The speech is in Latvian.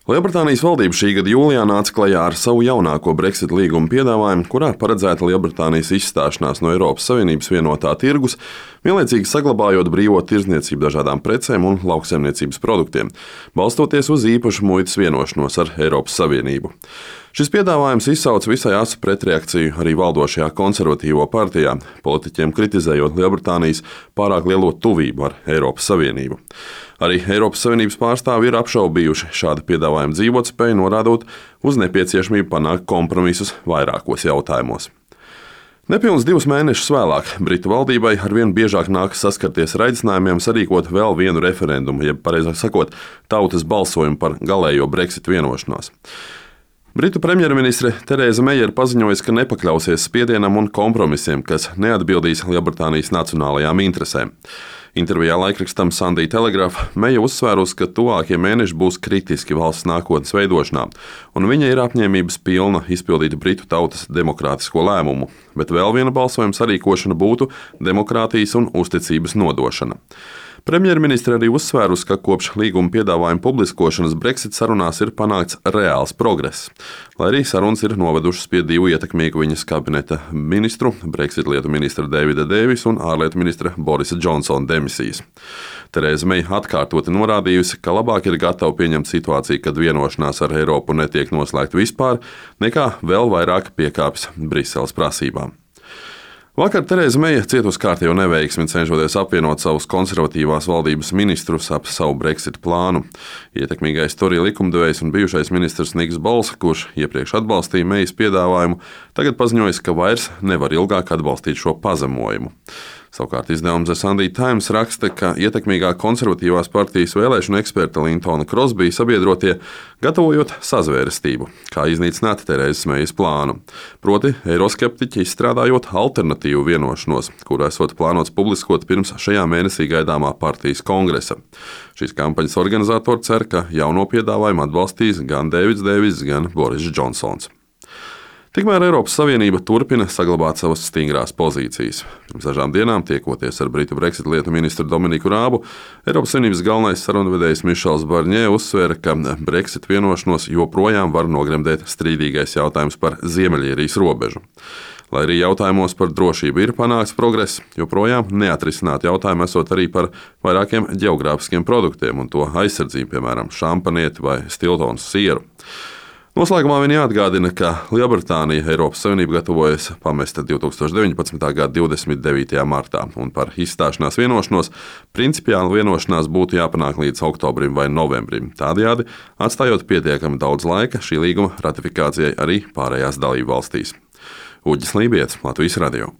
Lielbritānijas valdība šī gada jūlijā nāca klajā ar savu jaunāko Brexit līguma piedāvājumu, kurā paredzēta Lielbritānijas izstāšanās no Eiropas Savienības vienotā tirgus, vienlaicīgi saglabājot brīvo tirdzniecību dažādām precēm un lauksaimniecības produktiem, balstoties uz īpašu muitas vienošanos ar Eiropas Savienību. Šis piedāvājums izsauca visai asu pretreakciju arī valdošajā konservatīvo partijā, politiķiem kritizējot Lielbritānijas pārāk lielo tuvību ar Eiropas Savienību. Arī Eiropas Savienības pārstāvji ir apšaubījuši šāda piedāvājuma dzīvotspēju, norādot uz nepieciešamību panākt kompromisus vairākos jautājumos. Nepilns 2 mēnešus vēlāk Britu valdībai arvien biežāk nākas saskarties ar aicinājumiem sarīkot vēl vienu referendumu, jeb pareizāk sakot, tautas balsojumu par galējo Brexit vienošanos. Britu premjerministre Terēza Meija ir paziņojusi, ka nepakļausies spiedienam un kompromisiem, kas neatbildīs Lielbritānijas nacionālajām interesēm. Intervijā laikrakstam Sunday Telegraph Meija uzsvērusi, ka tuvākie mēneši būs kritiski valsts nākotnes veidošanā, un viņa ir apņēmības pilna izpildīt Britu tautas demokrātisko lēmumu, bet vēl viena balsojuma sarīkošana būtu demokrātijas un uzticības nodošana. Premjerministre arī uzsvērusi, ka kopš līguma piedāvājuma publiskošanas Brexit sarunās ir panākts reāls progress, lai arī sarunas ir novedušas pie 2 ietekmīgu viņas kabineta ministru, Brexit lietu ministra Davida Davisa un ārlietu ministra Borisa Džonsona demisijas. Terēza Meija atkārtoti norādījusi, ka labāk ir gatava pieņemt situāciju, kad vienošanās ar Eiropu netiek noslēgta vispār, nekā vēl vairāk piekāpjas Briseles prasībām. Vakar Terēza Meija cieta uz kārtējo neveiksmi, cenšoties apvienot savus konservatīvās valdības ministrus ap savu Brexit plānu. Ietekmīgais Tory likumdevējs un bijušais ministrs Niks Bols, kurš iepriekš atbalstīja Meijas piedāvājumu, tagad paziņojis, ka vairs nevar ilgāk atbalstīt šo pazemojumu. Savukārt izdevums The Sunday Times raksta, ka ietekmīgā konservatīvās partijas vēlēšanu eksperta Lintona Crosbija sabiedrotie gatavojot sazvērestību, kā iznīcināt Terēzes Meijas plānu. Proti, eiroskeptiķi izstrādājot alternatīvu vienošanos, kuru esot plānots publiskot pirms šajā mēnesī gaidāmā partijas kongresa. Šīs kampaņas organizatori cer, ka jauno piedāvājumu atbalstīs gan Davids Davis, gan Boris Džonsons. Tikmēr Eiropas Savienība turpina saglabāt savas stingrās pozīcijas. Pirms dažām dienām, tiekoties ar Britu Brexit lietu ministru Dominiku Rābu, Eiropas Savienības galvenais sarunvedējs Mišels Barņē uzsvēra, ka Brexit vienošanos joprojām var nogremdēt strīdīgais jautājums par Ziemeļīrijas robežu. Lai arī jautājumos par drošību ir panākts progress, joprojām neatrisināt jautājumu esot arī par vairākiem ģeogrāfiskiem produktiem un to aizsardzību, piemēram, šampanieti vai Stiltons sieru. Noslēgumā viņa atgādina, ka Lielbritānija Eiropas Savienību gatavojas pamest 2019. gada 29. martā, un par izstāšanās vienošanos principiāli vienošanās būtu jāpanāk līdz oktobrim vai novembrim, tādējādi atstājot pietiekami daudz laika šī līguma ratifikācijai arī pārējās dalību valstīs. Uģis Lībijets, Latvijas radio.